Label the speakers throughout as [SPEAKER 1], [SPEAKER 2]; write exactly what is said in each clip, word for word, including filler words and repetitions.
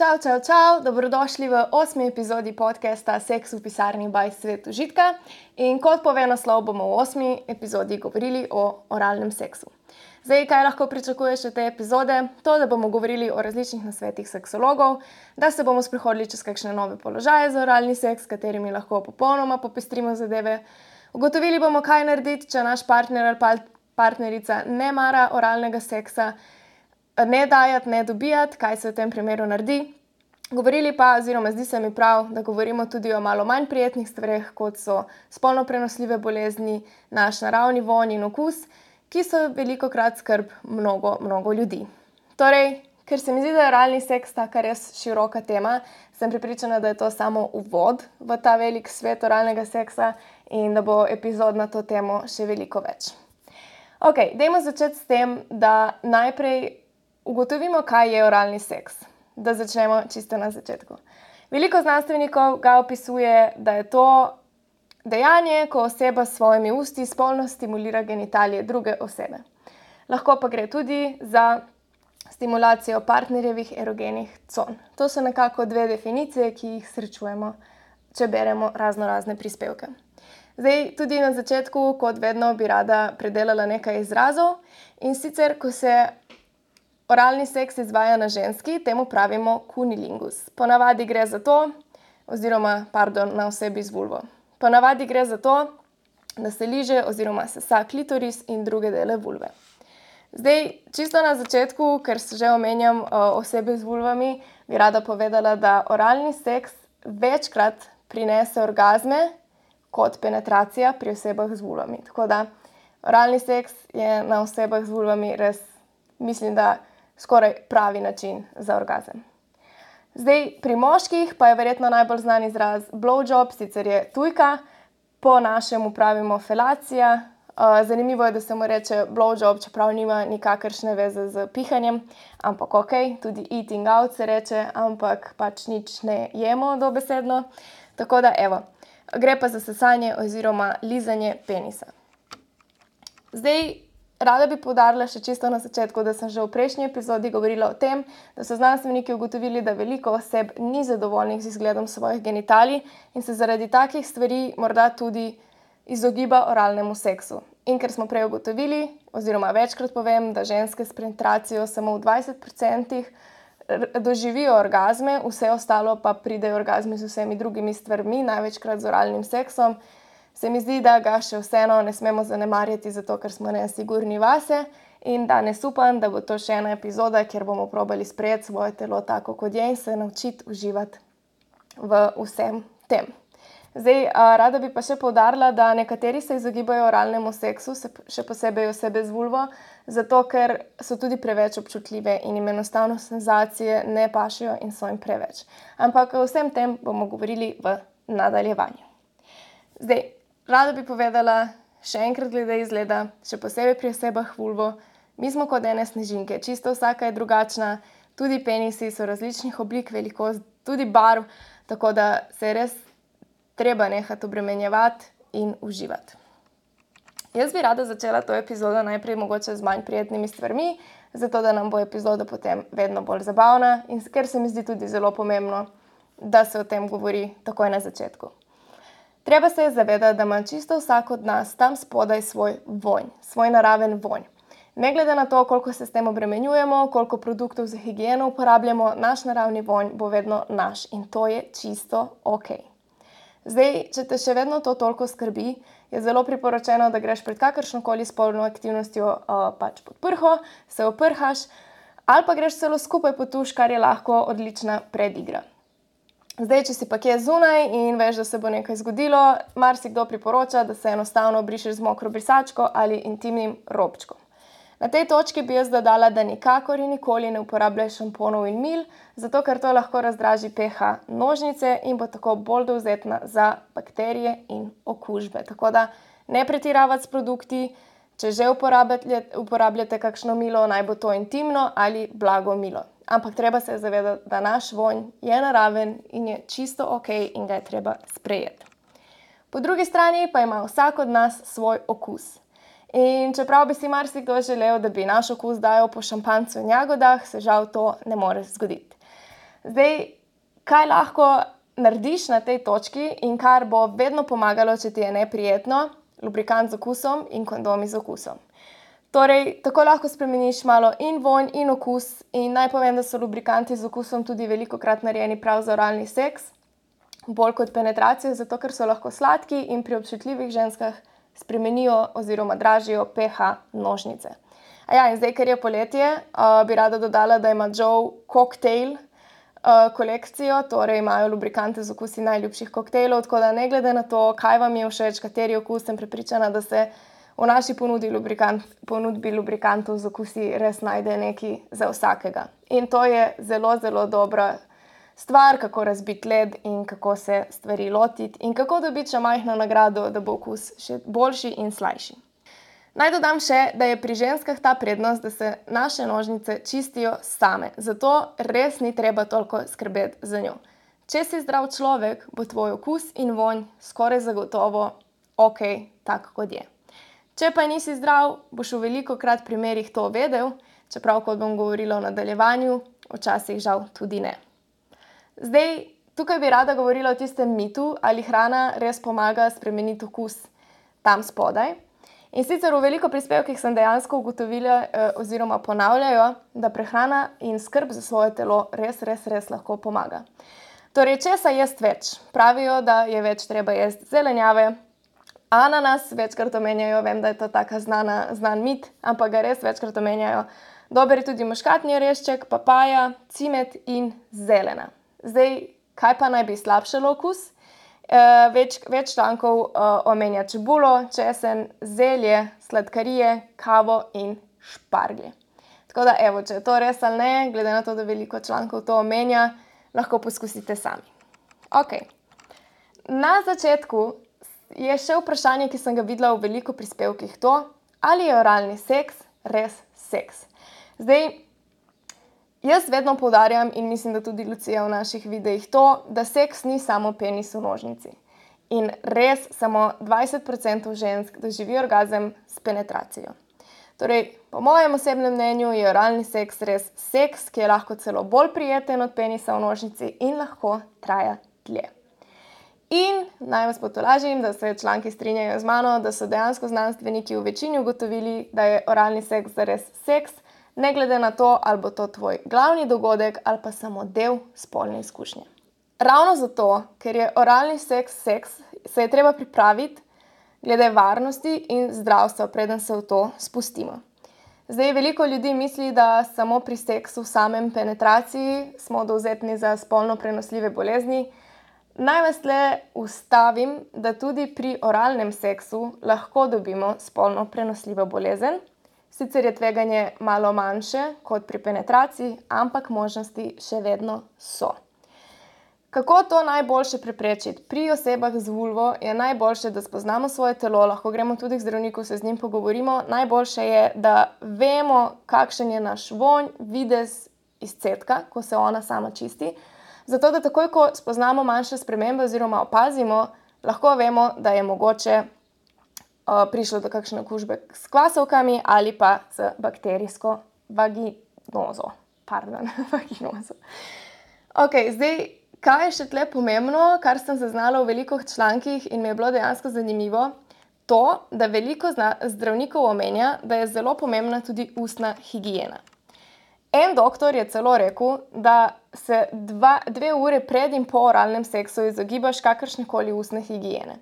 [SPEAKER 1] Čau, čau, čau, dobrodošli v osmi epizodi podcasta Seks v pisarni by Svet užitka. In kot pove naslov, bomo v osmi epizodi govorili o oralnem seksu. Zdaj, kaj lahko pričakuješ od te epizode? To, da bomo govorili o različnih nasvetih seksologov, da se bomo sprehodili čez kakšne nove položaje za oralni seks, s katerimi lahko popolnoma popestrimo zadeve. Ugotovili bomo, kaj narediti, če naš partner ali partnerica ne mara oralnega seksa, ne dajati, ne dobijati, kaj se v tem primeru naredi. Govorili pa, oziroma zdi se mi prav, da govorimo tudi o malo manj prijetnih stvareh, kot so spolno prenosljive bolezni, naš naravni vonj in okus, ki so velikokrat skrb mnogo, mnogo ljudi. Torej, ker se mi zdi, da je oralni seks taka res široka tema, sem prepričana, da je to samo uvod v ta velik svet oralnega seksa in da bo epizod na to temo še veliko več. Ok, dajmo začeti s tem, da najprej ugotovimo, kaj je oralni seks. Da začnemo čisto na začetku. Veliko znanstvenikov ga opisuje, da je to dejanje, ko oseba s svojimi usti spolno stimulira genitalije druge osebe. Lahko pa gre tudi za stimulacijo partnerjevih erogenih con. To so nekako dve definicije, ki jih srečujemo, če beremo razno razne prispevke. Zdaj, tudi na začetku, kot vedno, bi rada predelala nekaj izrazov. In sicer, ko se oralni seks izvaja na ženski, temu pravimo kunilingus. Ponavadi gre za to, oziroma, pardon, na osebi z vulvo. Ponavadi gre za to, da se liže oziroma sesa klitoris in druge dele vulve. Zdaj, čisto na začetku, ker se že omenjam uh, osebe z vulvami, bi rada povedala, da oralni seks večkrat prinese orgazme kot penetracija pri osebah z vulvami. Tako da oralni seks je na osebah z vulvami res, mislim, da skoraj pravi način za orgazem. Zdaj, pri moških pa je verjetno najbolj znan izraz blowjob, sicer je tujka, po našemu pravimo felacija. Uh, zanimivo je, da se mu reče blowjob, čeprav nima nikakršne veze z pihanjem, ampak ok, tudi eating out se reče, ampak pač nič ne jemo dobesedno. Tako da, evo, gre pa za sesanje oziroma lizanje penisa. Zdaj, rada bi poudarila še čisto na začetku, da sem že v prejšnji epizodi govorila o tem, da so znanstveniki ugotovili, da veliko oseb ni zadovoljnih z izgledom svojih genitalij in se zaradi takih stvari morda tudi izogiba oralnemu seksu. In ker smo prej ugotovili, oziroma večkrat povem, da ženske s penetracijo samo v dvajset procentih doživijo orgazme, vse ostalo pa pridejo orgazmi z vsemi drugimi stvarmi, največkrat z oralnim seksom, se mi zdi, da ga še vseeno ne smemo zanemarjati, zato ker smo nesigurni vase in danes upam, da bo to še ena epizoda, kjer bomo probali sprejeti svoje telo tako, kot je in se naučiti uživati v vsem tem. Zdaj, rada bi pa še poudarila, da nekateri se izogibajo oralnemu seksu, še posebej osebe z vulvo, zato ker so tudi preveč občutljive in jim enostavno senzacije ne pašejo in so jim preveč. Ampak o vsem tem bomo govorili v nadaljevanju. Zdaj, rada bi povedala še enkrat glede izgleda, še posebej pri osebah vulvo. Mi smo kot ene snežinke, čisto vsaka je drugačna, tudi penisi so različnih oblik, velikost, tudi barv, tako da se res treba nehati obremenjevati in uživati. Jaz bi rada začela to epizodo najprej mogoče z manj prijetnimi stvarmi, zato da nam bo epizoda potem vedno bolj zabavna in ker se mi zdi tudi zelo pomembno, da se o tem govori takoj na začetku. Treba se je zavedati, da ima čisto vsak od nas tam spodaj svoj vonj, svoj naraven vonj. Ne glede na to, koliko se s tem obremenjujemo, koliko produktov za higieno uporabljamo, naš naravni vonj bo vedno naš in to je čisto ok. Zdaj, če te še vedno to toliko skrbi, je zelo priporočeno, da greš pred kakršnokoli spolno aktivnostjo uh, pač pod prho, se oprhaš ali pa greš celo skupaj pod tuš, kar je lahko odlična predigra. Zdaj, če si pa kje zunaj in veš, da se bo nekaj zgodilo, marsikdo priporoča, da se enostavno obrišeš z mokro brisačko ali intimnim robčkom. Na tej točki bi jaz dodala, da nikakor in nikoli ne uporabljaj šamponov in mil, zato ker to lahko razdraži pH nožnice in bo tako bolj dovzetna za bakterije in okužbe. Tako da ne pretiravati s produkti, če že uporabljate, uporabljate kakšno milo, naj bo to intimno ali blago milo. Ampak treba se zavedati, da naš vonj je naraven in je čisto ok in ga je treba sprejeti. Po drugi strani pa ima vsak od nas svoj okus. In čeprav bi si marsikdo želel, da bi naš okus dajal po šampanjcu in jagodah, se žal to ne more zgoditi. Zdaj, kaj lahko narediš na tej točki in kar bo vedno pomagalo, če ti je neprijetno, lubrikant z okusom in kondomi z okusom. Torej, tako lahko spremeniš malo in vonj in okus in naj povem, da so lubrikanti z okusom tudi velikokrat narejeni prav za oralni seks, bolj kot penetracijo, zato ker so lahko sladki in pri občutljivih ženskah spremenijo oziroma dražijo pH nožnice. A ja, in zdaj, ker je poletje, uh, bi rada dodala, da ima Joe koktajl uh, kolekcijo, torej imajo lubrikante z okusi najljubših koktejlov, tako da ne glede na to, kaj vam je všeč, kateri okus, sem prepričana, da se v naši ponudbi, lubrikant, ponudbi lubrikantov z okusi res najde nekaj za vsakega. In to je zelo, zelo dobra stvar, kako razbiti led in kako se stvari lotiti in kako dobiti še majhno nagrado, da bo okus še boljši in slajši. Naj dodam še, da je pri ženskah ta prednost, da se naše nožnice čistijo same, zato res ni treba toliko skrbeti za njo. Če si zdrav človek, bo tvoj okus in vonj skoraj zagotovo ok, tak kot je. Če pa nisi zdrav, boš v velikokrat primerih to vedel, čeprav, kot bom govorila v nadaljevanju, včasih žal tudi ne. Zdaj, tukaj bi rada govorila o tistem mitu, ali hrana res pomaga spremeniti okus tam spodaj. In sicer v veliko prispevkih sem dejansko ugotovila eh, oziroma ponavljajo, da prehrana in skrb za svoje telo res, res, res lahko pomaga. Torej, česa jesti več? Pravijo, da je več treba jesti zelenjave, ananas večkrat omenjajo, vem, da je to taka znana, znan mit, ampak ga res večkrat omenjajo. Dober je tudi muškatni orešček, papaja, cimet in zelena. Zdaj, kaj pa naj bi slabšalo okus? E, več, več člankov e, omenja čebulo, česen, zelje, sladkarije, kavo in šparglje. Tako da, evo, če je to res ali ne, glede na to, da veliko člankov to omenja, lahko poskusite sami. Ok. Na začetku je še vprašanje, ki sem ga videla v veliko prispevkih, to, ali je oralni seks res seks. Zdaj, jaz vedno poudarjam in mislim, da tudi Lucija v naših videih to, da seks ni samo penis v nožnici. In res samo dvajset procentov žensk doživi orgazem s penetracijo. Torej, po mojem osebnem mnenju je oralni seks res seks, ki je lahko celo bolj prijeten od penisa v nožnici in lahko traja dlje. In naj vas potolažim, da se članki strinjajo z mano, da so dejansko znanstveniki v večini ugotovili, da je oralni seks zares seks, ne glede na to, ali bo to tvoj glavni dogodek ali pa samo del spolne izkušnje. Ravno zato, ker je oralni seks seks, se je treba pripraviti glede varnosti in zdravstva, preden se v to spustimo. Zdaj, veliko ljudi misli, da samo pri seksu, samem penetraciji smo dovzetni za spolno prenosljive bolezni. Naj vas le ustavim, da tudi pri oralnem seksu lahko dobimo spolno prenosljivo bolezen. Sicer je tveganje malo manjše kot pri penetraciji, ampak možnosti še vedno so. Kako to najboljše preprečiti? Pri osebah z vulvo je najboljše, da spoznamo svoje telo, lahko gremo tudi k zdravniku, se z njim pogovorimo. Najboljše je, da vemo, kakšen je naš vonj, videz izcedka, ko se ona sama čisti. Zato, da takoj, ko spoznamo manjše spremembe oziroma opazimo, lahko vemo, da je mogoče uh, prišlo do kakšne okužbe s kvasovkami ali pa z bakterijsko vaginozo. Pardon, vaginozo. Ok, zdaj, kaj je še tle pomembno, kar sem zaznala v veliko člankih in mi je bilo dejansko zanimivo, to, da veliko zdravnikov omenja, da je zelo pomembna tudi ustna higiena. En doktor je celo rekel, da se dva, dve ure pred in po oralnem seksu izogibaš kakršnekoli ustne higiene.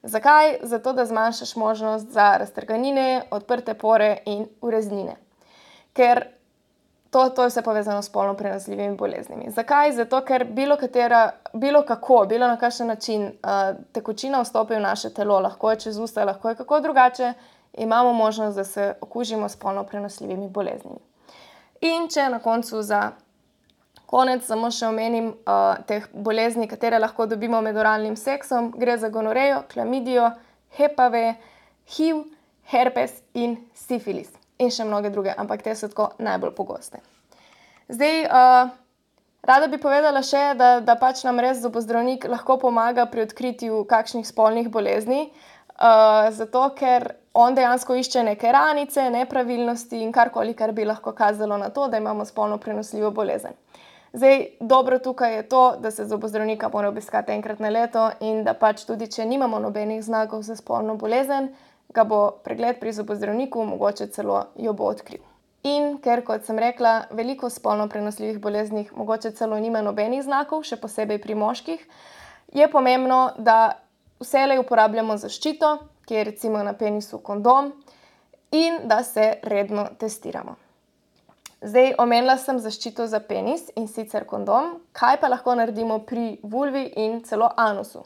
[SPEAKER 1] Zakaj? Zato, da zmanjšaš možnost za raztrganine, odprte pore in ureznine. Ker to, to je vse povezano s spolno prenosljivimi boleznimi. Zakaj? Zato, ker bilo katera, bilo kako, bilo na kakšen način uh, tekočina vstopi v naše telo, lahko je čez usta, lahko je kako drugače, imamo možnost, da se okužimo s spolno prenosljivimi boleznimi. In če na koncu za konec samo še omenim uh, teh bolezni, katere lahko dobimo med oralnim seksom, gre za gonorejo, klamidijo, H P V, H I V, herpes in sifilis. In še mnoge druge, ampak te so tako najbolj pogoste. Zdaj, uh, rada bi povedala še, da, da pač nam res zobozdravnik lahko pomaga pri odkritju kakšnih spolnih bolezni, uh, zato ker on dejansko išče neke ranice, nepravilnosti in karkoli, kar bi lahko kazalo na to, da imamo spolno prenosljivo bolezen. Zdaj, dobro tukaj je to, da se zobozdravnika mora obiskati enkrat na leto in da pač tudi, če nimamo nobenih znakov za spolno bolezen, ga bo pregled pri zobozdravniku, mogoče celo jo bo odkril. In ker, kot sem rekla, veliko spolno prenosljivih boleznih mogoče celo nima nobenih znakov, še posebej pri moških, je pomembno, da vselej uporabljamo zaščito, ki je recimo na penisu kondom, in da se redno testiramo. Zdaj, omenila sem zaščito za penis in sicer kondom, kaj pa lahko naredimo pri vulvi in celo anusu.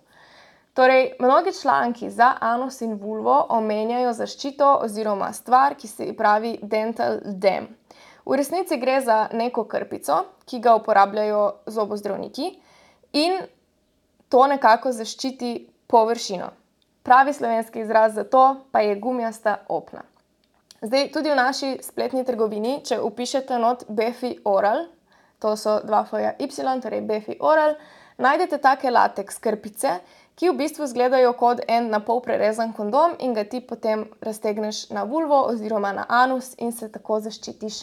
[SPEAKER 1] Torej, mnogi članki za anus in vulvo omenjajo zaščito oziroma stvar, ki se pravi dental dam. V resnici gre za neko krpico, ki ga uporabljajo zobozdravniki in to nekako zaščiti površino. Pravi slovenski izraz za to pa je gumijasta opna. Zdaj, tudi v naši spletni trgovini, če vpišete not Befi Oral, to so dva F-ja Y, torej Befi Oral, najdete take lateks krpice, ki v bistvu izgledajo kot en na pol prerezan kondom in ga ti potem raztegneš na vulvo oziroma na anus in se tako zaščitiš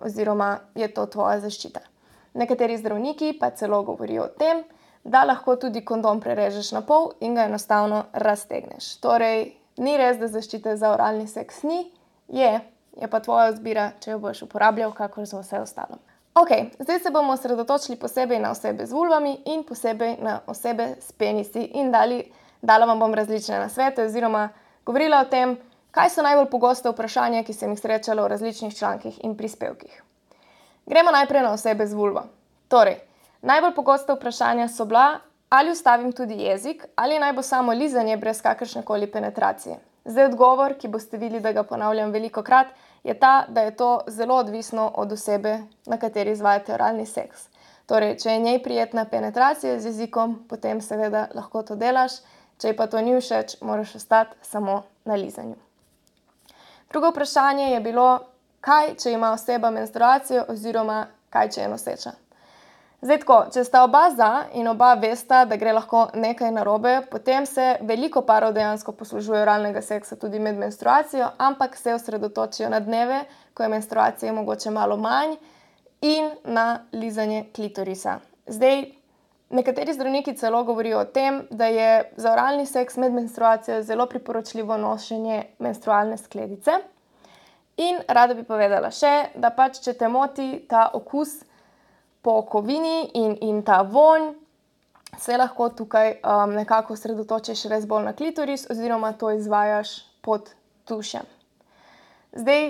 [SPEAKER 1] oziroma je to tvoja zaščita. Nekateri zdravniki pa celo govorijo o tem, da lahko tudi kondom prerežeš na pol in ga enostavno raztegneš. Torej, ni res, da zaščite za oralni seks ni, je, je pa tvoja izbira, če jo boš uporabljal, kakor za vse ostalo. Ok, zdaj se bomo osredotočili posebej na osebe z vulvami in posebej na osebe s penisi in dali, dala vam bom različne nasvete oziroma govorila o tem, kaj so najbolj pogoste vprašanja, ki sem jih srečala v različnih člankih in prispevkih. Gremo najprej na osebe z vulvo. Torej, najbolj pogoste vprašanja so bila, ali ustavim tudi jezik, ali naj bo samo lizanje brez kakršnekoli penetracije. Zdaj, odgovor, ki boste videli, da ga ponavljam velikokrat, je ta, da je to zelo odvisno od osebe, na kateri izvajate oralni seks. Torej, če je njej prijetna penetracija z jezikom, potem seveda lahko to delaš, če ji pa to ni všeč, moraš ostati samo na lizanju. Drugo vprašanje je bilo, kaj, če ima oseba menstruacijo oziroma kaj, če je noseča. Zdaj tako, če sta oba za in oba vesta, da gre lahko nekaj narobe, potem se veliko parov dejansko poslužuje oralnega seksa tudi med menstruacijo, ampak se osredotočijo na dneve, ko je menstruacije mogoče malo manj in na lizanje klitorisa. Zdaj, nekateri zdravniki celo govorijo o tem, da je za oralni seks med menstruacijo zelo priporočljivo nošenje menstrualne skledice. In rada bi povedala še, da pač, če te moti ta okus po kovini in, in ta vonj, se lahko tukaj um, nekako osredotočiš res bolj na klitoris oziroma to izvajaš pod tušem. Zdaj,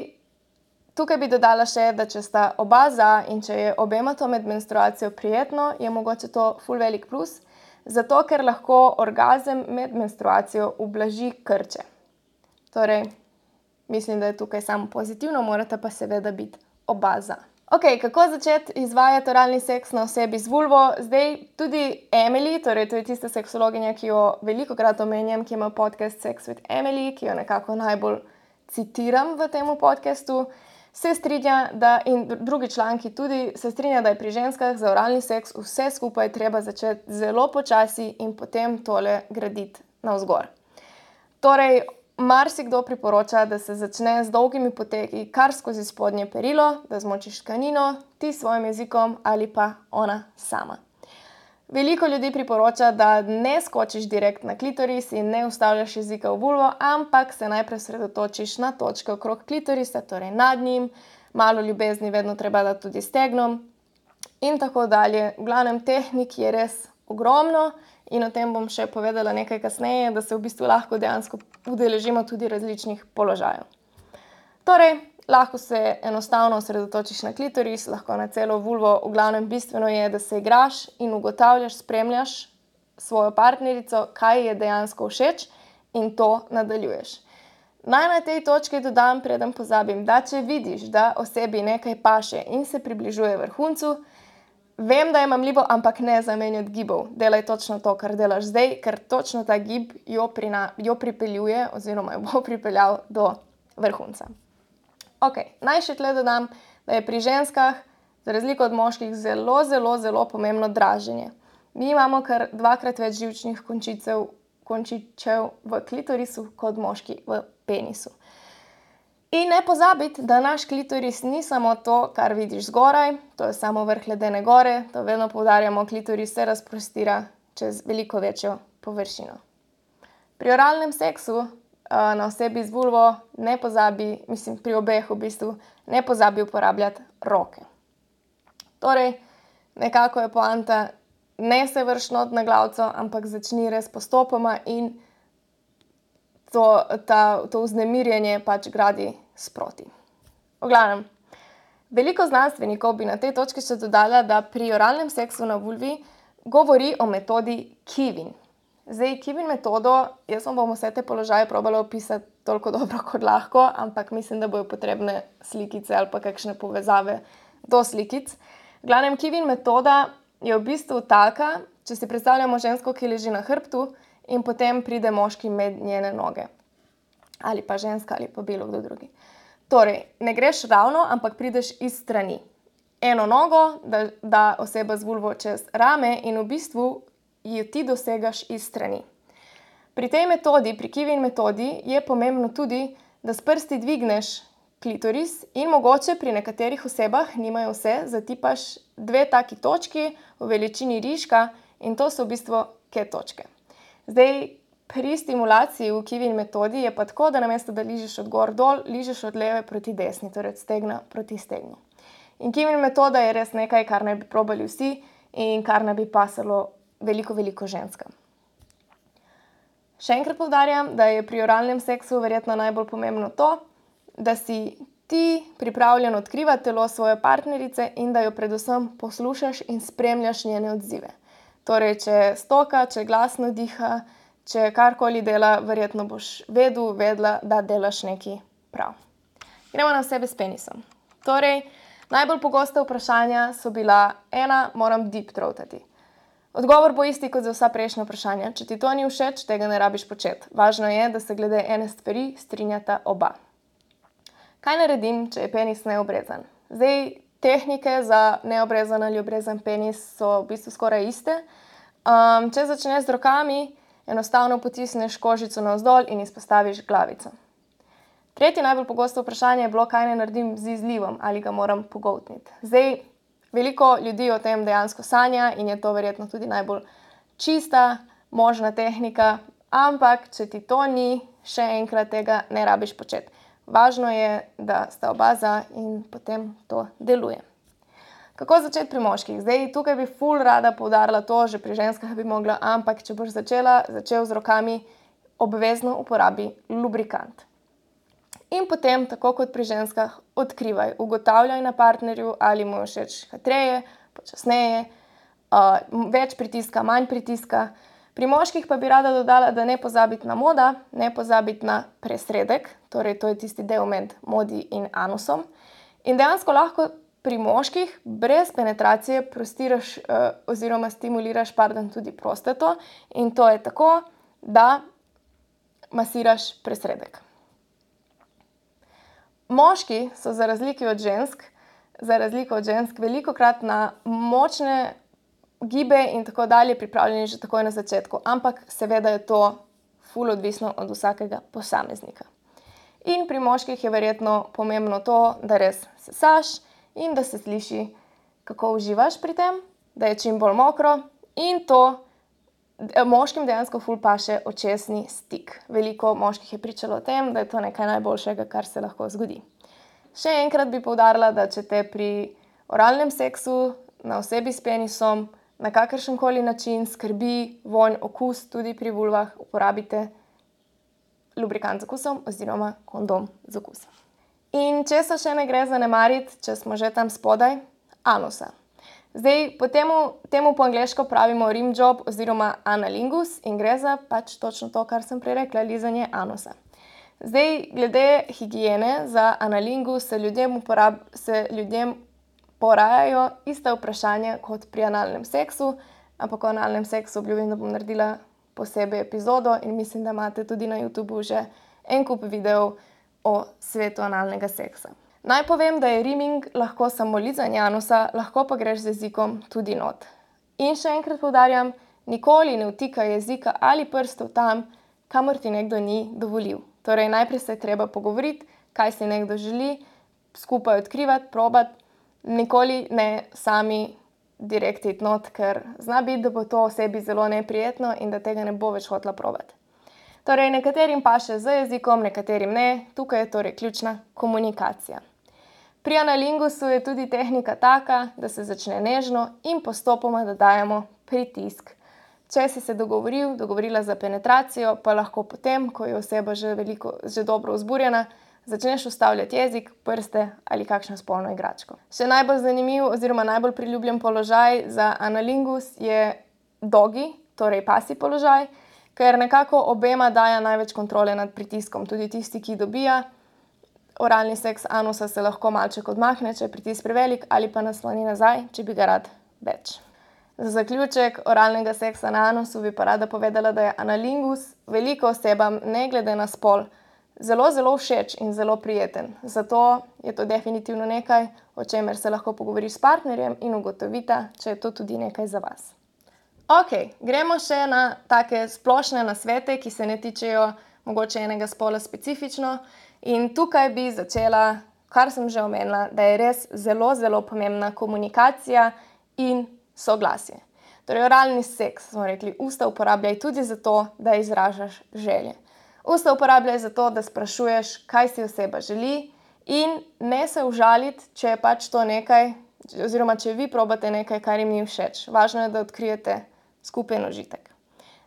[SPEAKER 1] tukaj bi dodala še, da če sta oba za in če je obema to med menstruacijo prijetno, je mogoče to ful velik plus, zato ker lahko orgazem med menstruacijo ublaži krče. Torej, mislim, da je tukaj samo pozitivno, morate pa seveda biti oba za. Ok, kako začeti izvajati oralni seks na osebi z vulvo? Zdaj, tudi Emily, torej to je tista seksologinja, ki jo velikokrat omenjam, ki ima podcast Sex with Emily, ki jo nekako najbolj citiram v tem podcastu, se strinja, da, in drugi članki tudi, se strinja, da je pri ženskah za oralni seks vse skupaj treba začeti zelo počasi in potem tole graditi navzgor. Torej, marsikdo priporoča, da se začne z dolgimi poteki kar skozi spodnje perilo, da zmočiš tkanino, ti s svojim jezikom ali pa ona sama. Veliko ljudi priporoča, da ne skočiš direkt na klitoris in ne vstavljaš jezika v vulvo, ampak se najprej sredotočiš na točke okrog klitorisa, torej nad njim, malo ljubezni vedno treba dati tudi stegnom in tako dalje. V glavnem, tehnik je res ogromno in o tem bom še povedala nekaj kasneje, da se v bistvu lahko dejansko udeležimo tudi različnih položajev. Torej, lahko se enostavno osredotočiš na klitoris, lahko na celo vulvo, v glavnem bistveno je, da se igraš in ugotavljaš, spremljaš svojo partnerico, kaj je dejansko všeč in to nadaljuješ. Naj na tej točki dodam, preden pozabim, da če vidiš, da osebi nekaj paše in se približuje vrhuncu, vem, da je mamljivo, ampak ne zamenjati gibov. Delaj točno to, kar delaš zdaj, ker točno ta gib jo, prina, jo pripeljuje oziroma jo bo pripeljal do vrhunca. Ok, naj še tle dodam, da je pri ženskah, za razliko od moških, zelo, zelo, zelo pomembno draženje. Mi imamo kar dvakrat več živčnih končicev, končičev v klitorisu kot moški v penisu. In ne pozabiti, da naš klitoris ni samo to, kar vidiš zgoraj, to je samo vrh ledene gore, to vedno poudarjamo, klitoris se razprostira čez veliko večjo površino. Pri oralnem seksu na osebi z vulvo ne pozabi, mislim pri obeh v bistvu, ne pozabi uporabljati roke. Torej, nekako je poanta, ne se vrši not na glavico, ampak začni res postopoma in to, ta, to vznemirjenje pač gradi sproti. V glavnem, veliko znanstvenikov bi na tej točki še dodala, da pri oralnem seksu na vulvi govori o metodi Kivin. Zdaj, Kivin metodo, jaz vam bom vse te položaje probala opisati toliko dobro kot lahko, ampak mislim, da bojo potrebne slikice ali pa kakšne povezave do slikic. V glavnem, Kivin metoda je v bistvu taka, če si predstavljamo žensko, ki leži na hrbtu in potem pride moški med njene noge. Ali pa ženska, ali pa bilo kdo drugi. Torej, ne greš ravno, ampak prideš iz strani. Eno nogo, da, da oseba z vulvo čez rame in v bistvu jo ti dosegaš iz strani. Pri tej metodi, pri Kivin metodi, je pomembno tudi, da s prsti dvigneš klitoris in mogoče pri nekaterih osebah, nimajo vse, zatipaš dve taki točki v veličini rižka in to so v bistvu ke točke. Zdaj, pri stimulaciji v Kivin metodi je pa tako, da namesto da ližeš od gor dol, ližeš od leve proti desni, torej od stegna proti stegnu. In Kivin metoda je res nekaj, kar naj bi probali vsi in kar naj bi pasalo veliko, veliko ženskam. Še enkrat poudarjam, da je pri oralnem seksu verjetno najbolj pomembno to, da si ti pripravljen odkrivati telo svoje partnerice in da jo predvsem poslušaš in spremljaš njene odzive. Torej, če stoka, če glasno diha, če karkoli dela, verjetno boš vedel, vedela, da delaš nekaj prav. Gremo na osebe s penisom. Torej, najbolj pogosta vprašanja so bila: ena, moram deep throatati. Odgovor bo isti kot za vsa prejšnja vprašanja. Če ti to ni všeč, tega ne rabiš početi. Važno je, da se glede ene stvari strinjata oba. Kaj naredim, če je penis neobrezan? Zdaj, tehnike za neobrezan ali obrezan penis so v bistvu skoraj iste. Um, če začneš z rokami, enostavno potisneš kožico navzdol in izpostaviš glavico. Tretje najbolj pogosto vprašanje je bilo, kaj naj naredim z izlivom, ali ga moram pogoltniti. Zdaj, veliko ljudi o tem dejansko sanja in je to verjetno tudi najbolj čista, možna tehnika, ampak če ti to ni, še enkrat tega ne rabiš početi. Važno je, da sta oba za in potem to deluje. Kako začeti pri moških? Zdaj, tukaj bi ful rada poudarila to, že pri ženskah bi mogla, ampak če boš začela, začel z rokami, obvezno uporabi lubrikant. In potem, tako kot pri ženskah, odkrivaj, ugotavljaj na partnerju, ali mu je všeč hitreje, počasneje, uh, več pritiska, manj pritiska. Pri moških pa bi rada dodala, da ne pozabiti na moda, ne pozabiti na presredek, torej to je tisti del med modi in anusom. In dejansko lahko pri moških brez penetracije prostiraš uh, oziroma stimuliraš pardon, tudi prostato in to je tako, da masiraš presredek. Moški so za razliko od žensk, za razliko od žensk velikokrat na močne gibe in tako dalje pripravljeni že takoj na začetku, ampak seveda je to ful odvisno od vsakega posameznika. In pri moških je verjetno pomembno to, da res sesaš in da se sliši, kako uživaš pri tem, da je čim bolj mokro in to moškim dejansko ful paše očesni stik. Veliko moških je pričalo o tem, da je to nekaj najboljšega, kar se lahko zgodi. Še enkrat bi poudarila, da če te pri oralnem seksu na osebi s penisom na kakršenkoli način skrbi vonj, okus, tudi pri vulvah, uporabite lubrikant z okusom oziroma kondom z okusom. In česa še ne gre zanemariti, če smo že tam spodaj? Anusa. Zdaj, po temu, temu po angleško pravimo rim job oziroma analingus in gre za pač točno to, kar sem prej rekla, lizanje anusa. Zdaj, glede higiene za analingus se ljudem, uporab, se ljudem porajajo ista vprašanja kot pri analnem seksu, ampak o analnem seksu obljubim, da bom naredila posebej epizodo in mislim, da imate tudi na YouTubeu že en kup videov o svetu analnega seksa. Naj povem, da je rimming lahko samo lizanje anusa, lahko pa greš z jezikom tudi not. In še enkrat poudarjam, nikoli ne vtikaj jezika ali prstov tam, kamor ti nekdo ni dovolil. Torej, najprej se je treba pogovoriti, kaj si nekdo želi, skupaj odkrivati, probati, nikoli ne sami direkt iti not, ker zna biti, da bo to osebi zelo neprijetno in da tega ne bo več hotela probati. Torej, nekaterim paše z jezikom, nekaterim ne, tukaj je torej ključna komunikacija. Pri analingusu je tudi tehnika taka, da se začne nežno in postopoma dodajamo pritisk. Če si se dogovoril, dogovorila za penetracijo, pa lahko potem, ko je oseba že, veliko, že dobro vzburjena, začneš ustavljati jezik, prste ali kakšno spolno igračko. Še najbolj zanimiv oziroma najbolj priljubljen položaj za analingus je dogi, torej pasji položaj, ker nekako obema daje največ kontrole nad pritiskom. Tudi tisti, ki dobija oralni seks anusa, se lahko malček odmahne, če je pritisk prevelik, ali pa nasloni nazaj, če bi ga rad več. Za zaključek oralnega seksa na anusu bi pa rada povedala, da je analingus veliko osebam, ne glede na spol, zelo, zelo všeč in zelo prijeten. Zato je to definitivno nekaj, o čemer se lahko pogovoriš s partnerjem in ugotovita, če je to tudi nekaj za vas. Ok, gremo še na take splošne nasvete, ki se ne tičejo mogoče enega spola specifično. In tukaj bi začela, kar sem že omenila, da je res zelo, zelo pomembna komunikacija in soglasje. Torej, oralni seks, smo rekli, usta uporabljaj tudi zato, da izražaš želje. Usta uporabljaj zato, da sprašuješ, kaj si oseba želi in ne se užaliti, če je pač to nekaj, oziroma če vi probate nekaj, kar jim ni všeč. Važno je, da odkrijete skupen užitek.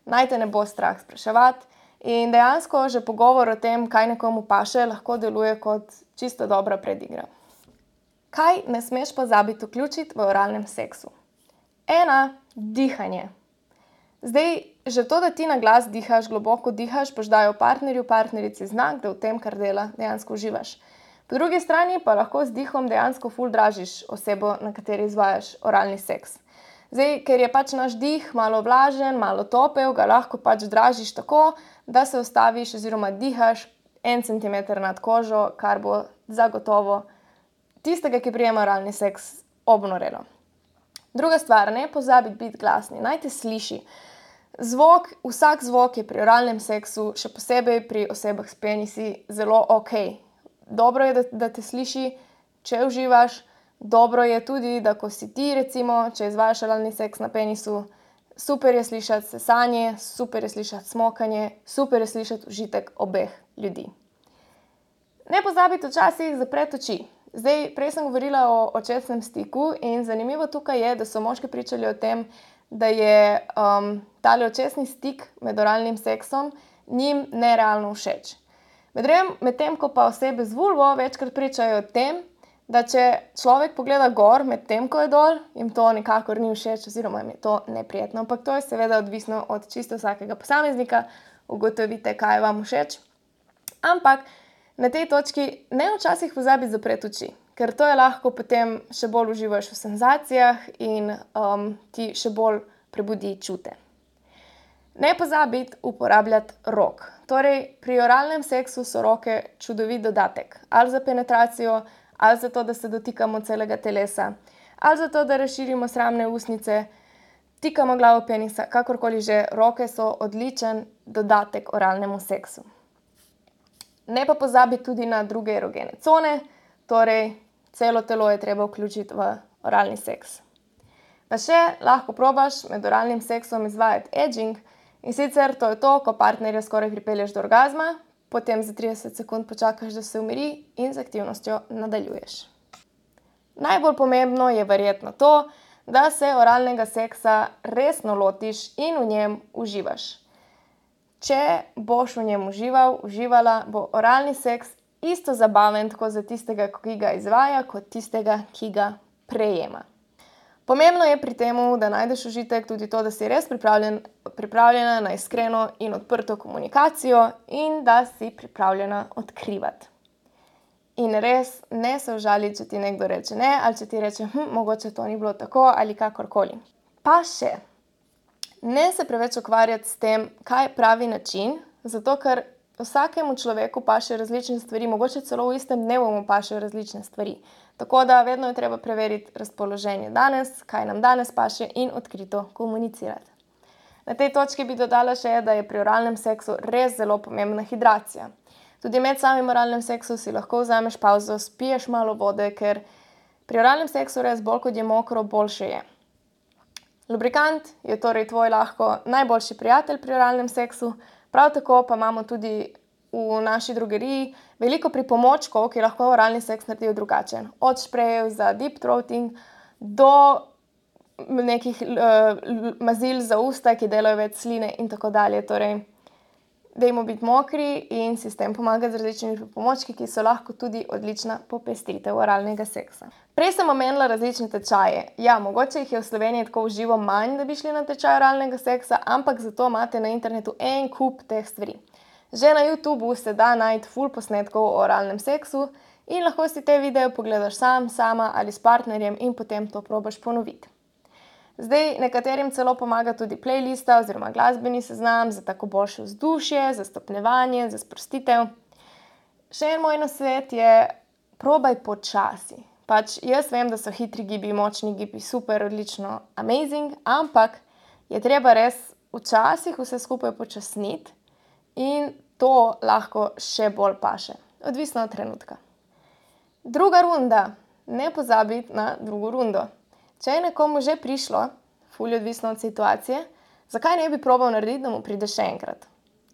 [SPEAKER 1] Naj te ne bo strah spraševati in dejansko že pogovor o tem, kaj nekomu paše, lahko deluje kot čisto dobra predigra. Kaj ne smeš pozabiti vključiti v oralnem seksu? Ena, dihanje. Zdaj, že to, da ti na glas dihaš, globoko dihaš, boš dajal partnerju, partnerici znak, da v tem, kar dela, dejansko uživaš. Po drugi strani pa lahko z dihom dejansko ful dražiš osebo, na kateri izvajaš oralni seks. Zdaj, ker je pač naš dih malo vlažen, malo topel, ga lahko pač dražiš tako, da se ustaviš oziroma dihaš en centimeter nad kožo, kar bo zagotovo tistega, ki prijema oralni seks, obnorelo. Druga stvar, ne pozabiti biti glasni, naj te sliši. Zvok, vsak zvok je pri oralnem seksu, še posebej pri osebah s penisi, zelo ok. Dobro je, da, da te sliši, če uživaš. Dobro je tudi, da ko si ti, recimo, če izvajaš oralni seks na penisu, super je slišati sesanje, super je slišati smokanje, super je slišati užitek obeh ljudi. Ne pozabiti včasih zapreti oči. Zdaj, prej sem govorila o očesnem stiku in zanimivo tukaj je, da so moški pričali o tem, da je um, tale očesni stik med oralnim seksom njim nerealno všeč. Medtem ko pa osebe z vulvo večkrat pričajo o tem, da če človek pogleda gor med tem, ko je dol, jim to nikakor ni všeč oziroma jim je to neprijetno. Ampak to je seveda odvisno od čisto vsakega posameznika, ugotovite, kaj je vam všeč. Ampak na tej točki ne včasih pozabiti zapreti oči, ker to je lahko potem še bolj uživaš v senzacijah in um, ti še bolj prebudi čute. Ne pozabiti uporabljati rok. Torej, pri oralnem seksu so roke čudovit dodatek. Ali za penetracijo, ali za to, da se dotikamo celega telesa, ali za to, da razširimo sramne usnice, tikamo glavo penisa, kakorkoli že, roke so odličen dodatek oralnemu seksu. Ne pa pozabiti tudi na druge erogene cone, torej celo telo je treba vključiti v oralni seks. Pa še lahko probaš med oralnim seksom izvajati edging in sicer to je to, ko partnerja skoraj pripelješ do orgazma, potem za trideset sekund počakaš, da se umiri in z aktivnostjo nadaljuješ. Najbolj pomembno je verjetno to, da se oralnega seksa resno lotiš in v njem uživaš. Če boš v njem užival, uživala, bo oralni seks isto zabaven tako za tistega, ki ga izvaja, kot tistega, ki ga prejema. Pomembno je pri tem, da najdeš užitek tudi to, da si res pripravljen, pripravljena na iskreno in odprto komunikacijo in da si pripravljena odkrivati. In res ne se užaliti, če ti nekdo reče ne, ali če ti reče, hm, mogoče to ni bilo tako ali kakorkoli. Pa še, ne se preveč ukvarjati s tem, kaj je pravi način, zato ker vsakemu človeku paše različne stvari, mogoče celo v istem dnevu mu pašejo različne stvari. Tako da vedno je treba preveriti razpoloženje danes, kaj nam danes paše in odkrito komunicirati. Na tej točki bi dodala še, da je pri oralnem seksu res zelo pomembna hidracija. Tudi med samim oralnim seksom si lahko vzameš pavzo, spiješ malo vode, ker pri oralnem seksu res bolj kot je mokro, boljše je. Lubrikant je torej tvoj lahko najboljši prijatelj pri oralnem seksu, prav tako pa imamo tudi v naši drogeriji veliko pripomočkov, ki lahko oralni seks naredijo drugačen. Od šprejev za deep throating do nekih uh, mazil za usta, ki delajo več sline in tako dalje. Torej, dajmo biti mokri in si s tem pomagati z različnimi pripomočki, ki so lahko tudi odlična popestritev oralnega seksa. Prej sem omenila različne tečaje. Ja, mogoče jih je v Sloveniji tako v živo manj, da bi šli na tečaj oralnega seksa, ampak zato imate na internetu en kup teh stvari. Že na YouTubu se da najti ful posnetkov o oralnem seksu in lahko si te videe pogledaš sam, sama ali s partnerjem in potem to probaš ponoviti. Zdaj, nekaterim celo pomaga tudi playlista oziroma glasbeni seznam za tako boljše vzdušje, za stopnjevanje, za sprostitev. Še en moj nasvet je, probaj počasi. Pač jaz vem, da so hitri gibi, močni gibi super, odlično, amazing, ampak je treba res včasih vse skupaj počasniti in to lahko še bolj paše, odvisno od trenutka. Druga runda. Ne pozabiti na drugo rundo. Če je nekomu že prišlo, ful je odvisno od situacije, zakaj ne bi probal narediti, da mu pride še enkrat?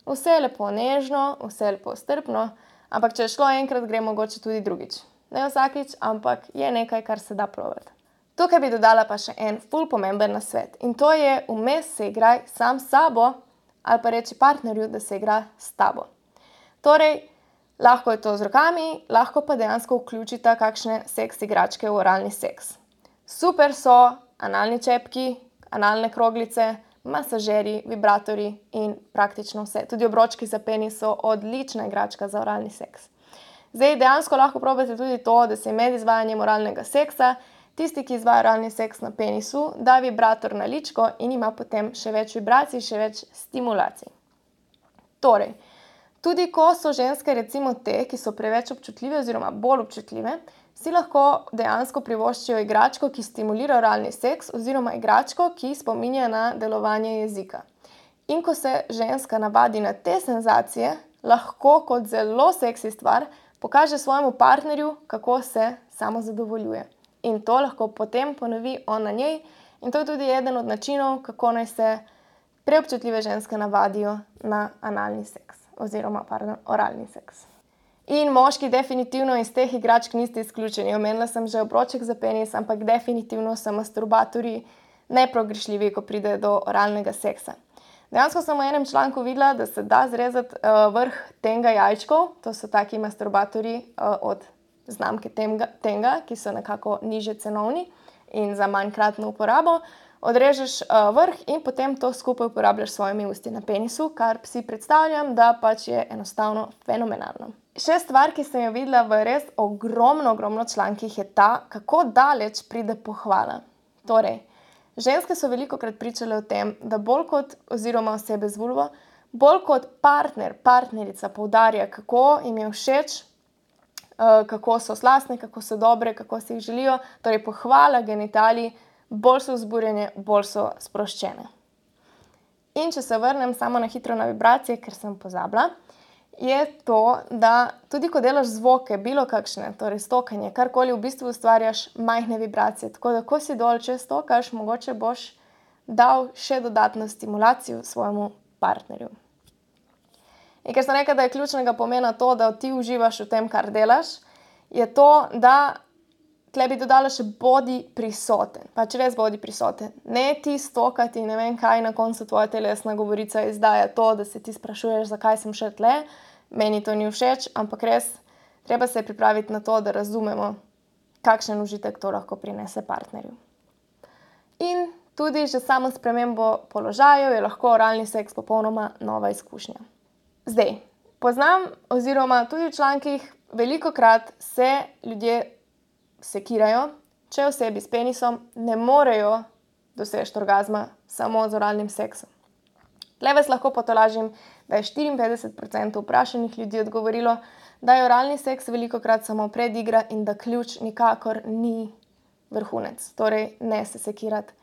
[SPEAKER 1] Vse je lepo nežno, vse je lepo strpno, ampak če je šlo enkrat, gre mogoče tudi drugič. Ne vsakič, ampak je nekaj, kar se da probati. Tukaj bi dodala pa še en ful pomemben nasvet in to je, vmes se igraj sam s sabo ali pa reči partnerju, da se igra s tabo. Torej, lahko je to z rokami, lahko pa dejansko vključita kakšne seks igračke v oralni seks. Super so analni čepki, analne kroglice, masažeri, vibratorji in praktično vse. Tudi obročki za penis so odlična igračka za oralni seks. Zdaj, dejansko lahko probate tudi to, da se med izvajanjem oralnega seksa tisti, ki izvaja oralni seks na penisu, da vibrator na ličko in ima potem še več vibracij, še več stimulacij. Torej, tudi ko so ženske recimo te, ki so preveč občutljive oziroma bolj občutljive, si lahko dejansko privoščijo igračko, ki stimulira oralni seks oziroma igračko, ki spominja na delovanje jezika. In ko se ženska navadi na te senzacije, lahko kot zelo seksi stvar pokaže svojemu partnerju, kako se samozadovoljuje. In to lahko potem ponovi on na njej in to je tudi eden od načinov, kako naj se preobčutljive ženske navadijo na analni seks oziroma, pardon, oralni seks. In moški definitivno iz teh igračk niste izključeni. Omenila sem že obroček za penis, ampak definitivno so masturbatorji neprogrešljivi, ko pride do oralnega seksa. Dejansko sem v enem članku videla, da se da zrezati uh, vrh Tenga jajčkov, to so taki masturbatorji uh, od znamke Tenga, Tenga, ki so nekako nižje cenovni in za manjkratno uporabo. Odrežeš uh, vrh in potem to skupaj uporabljaš s svojimi usti na penisu, kar si predstavljam, da pač je enostavno fenomenalno. Še stvar, ki sem jo videla v res ogromno, ogromno člankih, je ta, kako daleč pride pohvala. Torej, ženske so velikokrat pričale o tem, da bolj kot, oziroma osebe z vulvo, bolj kot partner, partnerica poudarja, kako jim je všeč, kako so slastne, kako so dobre, kako si jih želijo, torej pohvala genitalij, bolj so vzburjene, bolj so sproščene. In če se vrnem samo na hitro na vibracije, ker sem pozabila, je to, da tudi ko delaš zvoke, bilo kakšne, torej stokanje, karkoli, v bistvu ustvarjaš majhne vibracije, tako da ko si dol, če stokaš, mogoče boš dal še dodatno stimulacijo svojemu partnerju. In ker sem rekla, da je ključnega pomena to, da ti uživaš v tem, kar delaš, je to, da tle bi dodala še bodi prisoten. Pač res bodi prisoten. Ne ti stokati, ne vem kaj, na koncu tvoja telesna govorica izdaja to, da se ti sprašuješ, zakaj sem še tle. Meni to ni všeč, ampak res treba se pripraviti na to, da razumemo, kakšen užitek to lahko prinese partnerju. In tudi že samo spremembo položajev je lahko oralni seks popolnoma nova izkušnja. Zdaj, poznam oziroma tudi v člankih velikokrat se ljudje sekirajo, če osebi s penisom ne morejo doseči orgazma samo z oralnim seksom. Tle vas lahko potolažim, da je štiriinpetdeset procentov vprašanih ljudi odgovorilo, da je oralni seks velikokrat samo predigra in da ključ nikakor ni vrhunec. Torej, ne se sekirati.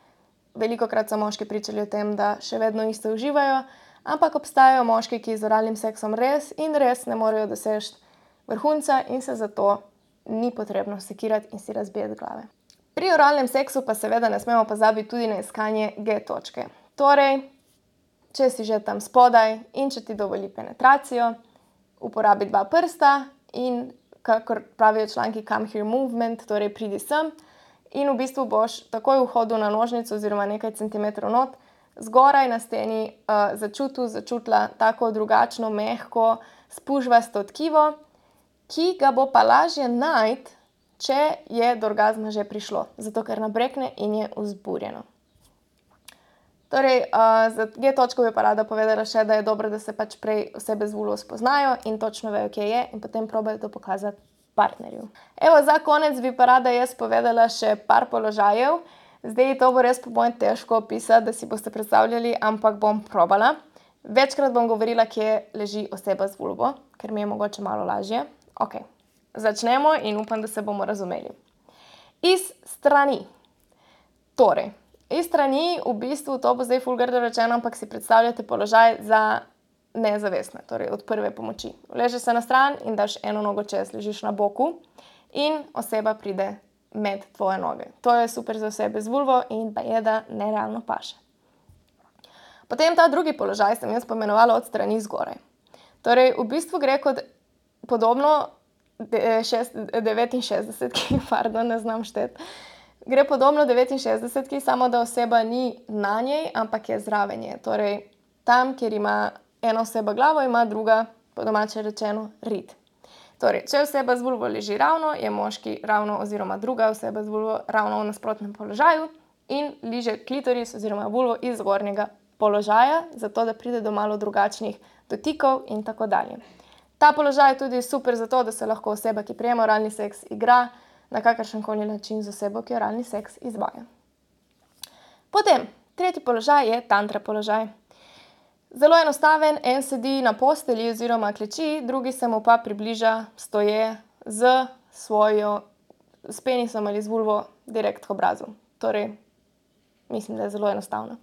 [SPEAKER 1] Velikokrat so moški pričali o tem, da še vedno isto uživajo, ampak obstajajo moški, ki z oralnim seksom res in res ne morejo doseči vrhunca in se zato ni potrebno sekirati in si razbijati glave. Pri oralnem seksu pa seveda ne smemo pozabiti tudi na iskanje G točke. Torej, če si že tam spodaj in če ti dovoli penetracijo, uporabi dva prsta in, kakor pravijo članki, come here movement, torej pridi sem in v bistvu boš takoj v hodu na nožnico oziroma nekaj centimetrov not zgoraj na steni uh, začutil, začutila tako drugačno, mehko, spužvasto tkivo, ki ga bo pa lažje najti, če je do orgazma že prišlo, zato ker nabrekne in je vzburjeno. Torej, uh, za G točko bi pa rada povedala še, da je dobro, da se pač prej osebe z vulvo spoznajo in točno vejo, kje je in potem probajo to pokazati partnerju. Evo, za konec bi pa rada jaz povedala še par položajev. Zdaj to bo res po mojem težko opisati, da si boste predstavljali, ampak bom probala. Večkrat bom govorila, kje leži oseba z vulvo, ker mi je mogoče malo lažje. Ok, začnemo in upam, da se bomo razumeli. Iz strani. Torej, iz strani v bistvu, to bo zdaj ful grdo rečeno, ampak si predstavljate položaj za nezavestne, torej od prve pomoči. Ležeš se na stran in daš eno nogo čez, ležiš na boku in oseba pride med tvoje noge. To je super za osebe z vulvo in pa je, da nerealno paše. Potem ta drugi položaj sem jaz pomenovala od strani zgoraj. Torej, v bistvu gre kot podobno devetinšestdesetki, pardon, ne znam šteti. Gre podobno devetinšestdesetki, samo da oseba ni na njej, ampak je zraven nje. Torej, tam, kjer ima ena oseba glavo, ima druga, po domače rečeno, rit. Torej, če oseba z vulvo leži ravno, je moški ravno oziroma druga oseba z vulvo ravno v nasprotnem položaju in liže klitoris oziroma vulvo iz zgornjega položaja, zato da pride do malo drugačnih dotikov in tako dalje. Ta položaj je tudi super zato, da se lahko oseba, ki prejema oralni seks, igra na kakršenkoli način z osebo, ki oralni seks izvaja. Potem, tretji položaj je tantra položaj. Zelo enostaven, en sedi na postelji oziroma kleči, drugi se mu pa približa stoje z svojo, s penisom ali z vulvo direkt k obrazu. Torej, mislim, da je zelo enostavno.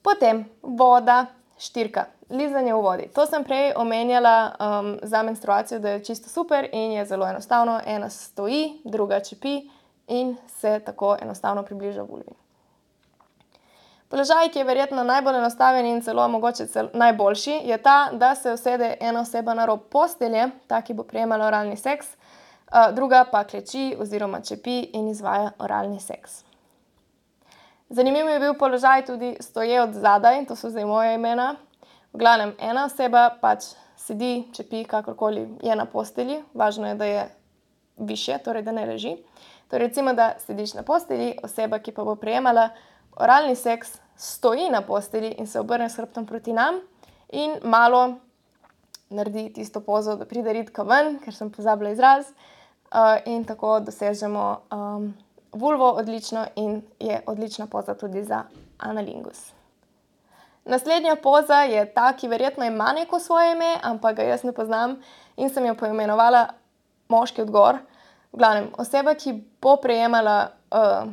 [SPEAKER 1] Potem, voda, štirka, lizanje v vodi. To sem prej omenjala um, za menstruacijo, da je čisto super in je zelo enostavno. Ena stoji, druga čepi in se tako enostavno približa vulvi. Položaj, ki je verjetno najbolj enostaven in celo mogoče celo najboljši, je ta, da se usede ena oseba na rob postelje, ta, ki bo prejemala oralni seks, druga pa kleči oziroma čepi in izvaja oralni seks. Zanimiv je bil položaj tudi stoje od zadaj, to so zdaj moja imena. V glavnem, ena oseba pač sedi, čepi, kakorkoli je na postelji, važno je, da je višje, torej da ne leži. Torej, recimo, da sediš na postelji, oseba, ki pa bo prejemala oralni seks, stoji na postelji in se obrne s hrbtom proti nam in malo naredi tisto pozo, da pride ritka ven, ker sem pozabila izraz, in tako dosežemo um, vulvo odlično in je odlična poza tudi za analingus. Naslednja poza je ta, ki verjetno ima neko svoje ime, ampak ga jaz ne poznam in sem jo poimenovala moški odgor. V glavnem, oseba, ki bo prejemala uh,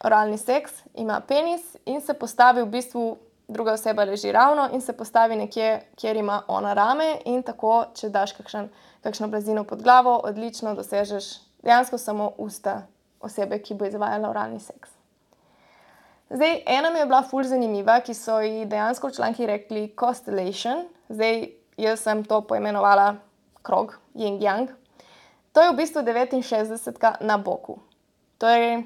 [SPEAKER 1] oralni seks, ima penis in se postavi v bistvu, druga oseba leži ravno in se postavi nekje, kjer ima ona rame in tako, če daš kakšen, kakšno blazino pod glavo, odlično dosežeš dejansko samo usta osebe, ki bo izvajala oralni seks. Zdaj, ena mi je bila ful zanimiva, ki so ji dejansko v članki rekli constellation. Zdaj, jaz sem to poimenovala krog, yin-yang. To je v bistvu devetinšestdesetka na boku. Torej,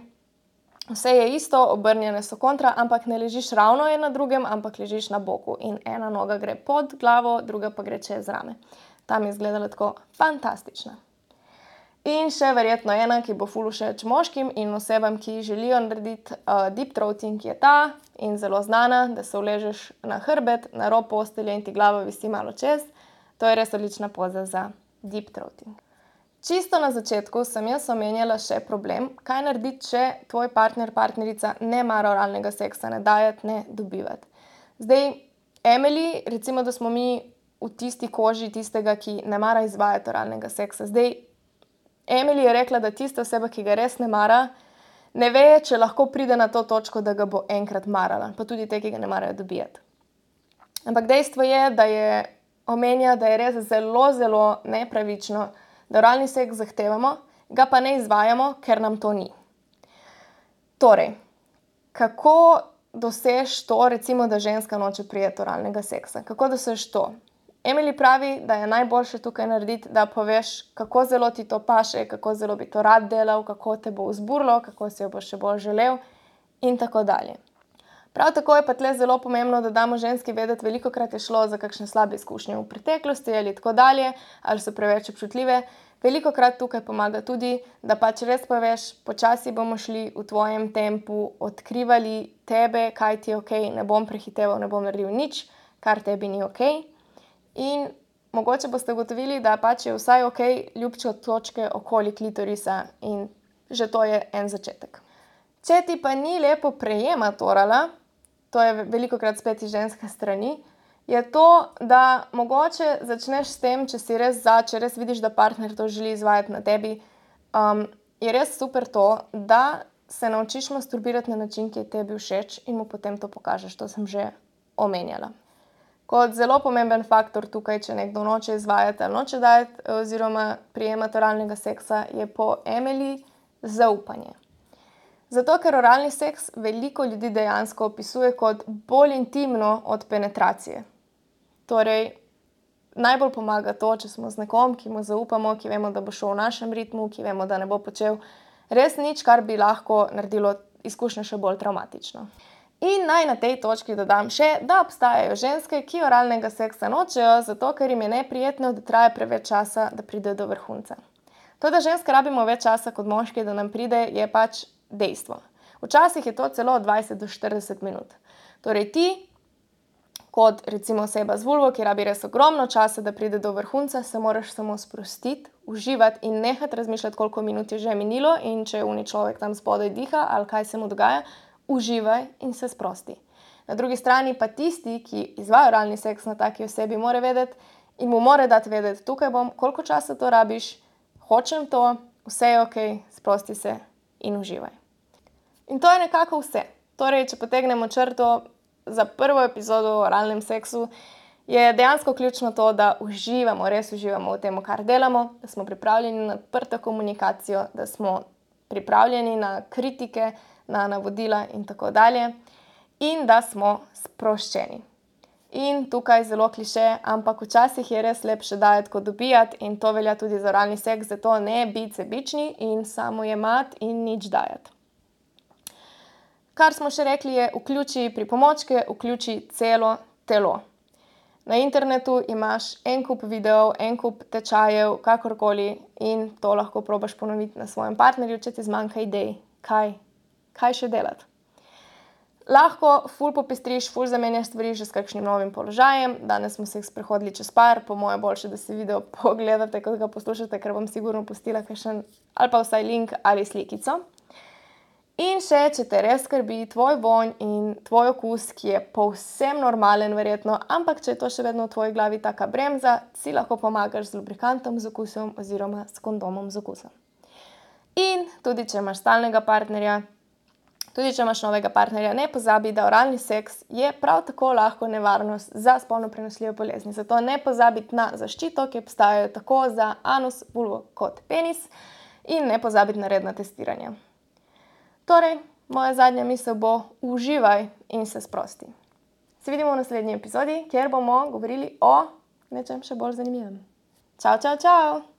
[SPEAKER 1] vse je isto, obrnjene so kontra, ampak ne ležiš ravno en na drugem, ampak ležiš na boku. In ena noga gre pod glavo, druga pa gre čez rame. Tam je izgledala tako fantastična. In še verjetno ena, ki bo ful všeč moškim in osebam, ki želijo narediti uh, deep throating, je ta in zelo znana, da se uležeš na hrbet, na rob postelje in ti glava visi malo čez. To je res odlična poza za deep throating. Čisto na začetku sem jaz omenjala še problem, kaj narediti, če tvoj partner, partnerica ne mara oralnega seksa, ne dajati, ne dobivati. Zdaj, Emily, recimo, da smo mi v tisti koži tistega, ki ne mara izvajati oralnega seksa. Zdaj, Emily je rekla, da tista oseba, ki ga res ne mara, ne ve, če lahko pride na to točko, da ga bo enkrat marala, pa tudi te, ki ga ne marajo dobijati. Ampak dejstvo je, da je omenja, da je res zelo, zelo nepravično, da oralni seks zahtevamo, ga pa ne izvajamo, ker nam to ni. Torej, kako dosež to, recimo, da ženska noče prijeti oralnega seksa? Kako dosež to? Emily pravi, da je najboljše tukaj narediti, da poveš, kako zelo ti to paše, kako zelo bi to rad delal, kako te bo vzburilo, kako si jo bo še bolj želel in tako dalje. Prav tako je pa tle zelo pomembno, da damo ženski vedeti, velikokrat je šlo za kakšne slabe izkušnje v preteklosti ali tako dalje, ali so preveč občutljive. Velikokrat tukaj pomaga tudi, da pač res poveš, počasi bomo šli v tvojem tempu, odkrivali tebe, kaj ti je okej, ne bom prehiteval, ne bom naredil nič, kar tebi ni okej. In mogoče boste ugotovili, da pač je vsaj okej ljubče točke okoli klitorisa in že to je en začetek. Če ti pa ni lepo prejemati orala, to je velikokrat spet iz ženske strani, je to, da mogoče začneš s tem, če si res za, če res vidiš, da partner to želi izvajati na tebi, um, je res super to, da se naučiš masturbirati na način, ki je tebi všeč in mu potem to pokažeš. To sem že omenjala. Kot zelo pomemben faktor tukaj, če nekdo noče izvajati ali noče dajati oziroma prijemati oralnega seksa, je po Emily zaupanje. Zato, ker oralni seks veliko ljudi dejansko opisuje kot bolj intimno od penetracije. Torej, najbolj pomaga to, če smo z nekom, ki mu zaupamo, ki vemo, da bo šel v našem ritmu, ki vemo, da ne bo počel res nič, kar bi lahko naredilo izkušnjo še bolj travmatično. In naj na tej točki dodam še, da obstajajo ženske, ki oralnega seksa nočejo, zato ker jim je neprijetno, da traja preveč časa, da pride do vrhunca. To, da ženske rabimo več časa kot moški, da nam pride, je pač dejstvo. Včasih je to celo dvajset do štirideset minut. Torej ti, kot recimo oseba z vulvo, ki rabi res ogromno časa, da pride do vrhunca, se moraš samo sprostiti, uživati in nehati razmišljati, koliko minut je že minilo in če uni človek tam spodaj diha ali kaj se mu dogaja, uživaj in se sprosti. Na drugi strani pa tisti, ki izvaja oralni seks na taki osebi, mora vedeti in mu mora dati vedeti, tukaj bom, koliko časa to rabiš, hočem to, vse je okej, sprosti se in uživaj. In to je nekako vse. Torej, če potegnemo črto za prvo epizodo o oralnem seksu, je dejansko ključno to, da uživamo, res uživamo v tem, kar delamo, da smo pripravljeni na odprto komunikacijo, da smo pripravljeni na kritike, na navodila in tako dalje in da smo sproščeni. In tukaj zelo kliše, ampak včasih je res lepše dajati kot dobijati in to velja tudi za oralni seks, zato ne biti sebični in samo jemati in nič dajati. Kar smo še rekli je, vključi pripomočke, vključi celo telo. Na internetu imaš en kup videov, en kup tečajev, kakorkoli in to lahko probaš ponoviti na svojem partnerju, če ti zmanjka idej, kaj, kaj še delati. Lahko ful popestriš, ful zamenjaš stvari že s kakšnim novim položajem. Danes smo se sprehodili čez par, po moje boljše, da si video pogledate, kot ga poslušate, ker bom sigurno pustila kakšen ali pa vsaj link ali slikico. In še, če te res skrbi tvoj vonj in tvoj okus, ki je povsem normalen verjetno, ampak če je to še vedno v tvoji glavi taka bremza, si lahko pomagaš z lubrikantom z okusom oziroma s kondomom z okusom. In tudi, če imaš stalnega partnerja, tudi, če imaš novega partnerja, ne pozabi, da oralni seks je prav tako lahko nevarnost za spolno prenosljive bolezni. Zato ne pozabiti na zaščito, ki obstajajo tako za anus, vulvo kot penis in ne pozabiti na redna testiranja. Torej, moja zadnja misel bo uživaj in se sprosti. Se vidimo v naslednji epizodi, kjer bomo govorili o nečem še bolj zanimivem. Čau, čau, čau!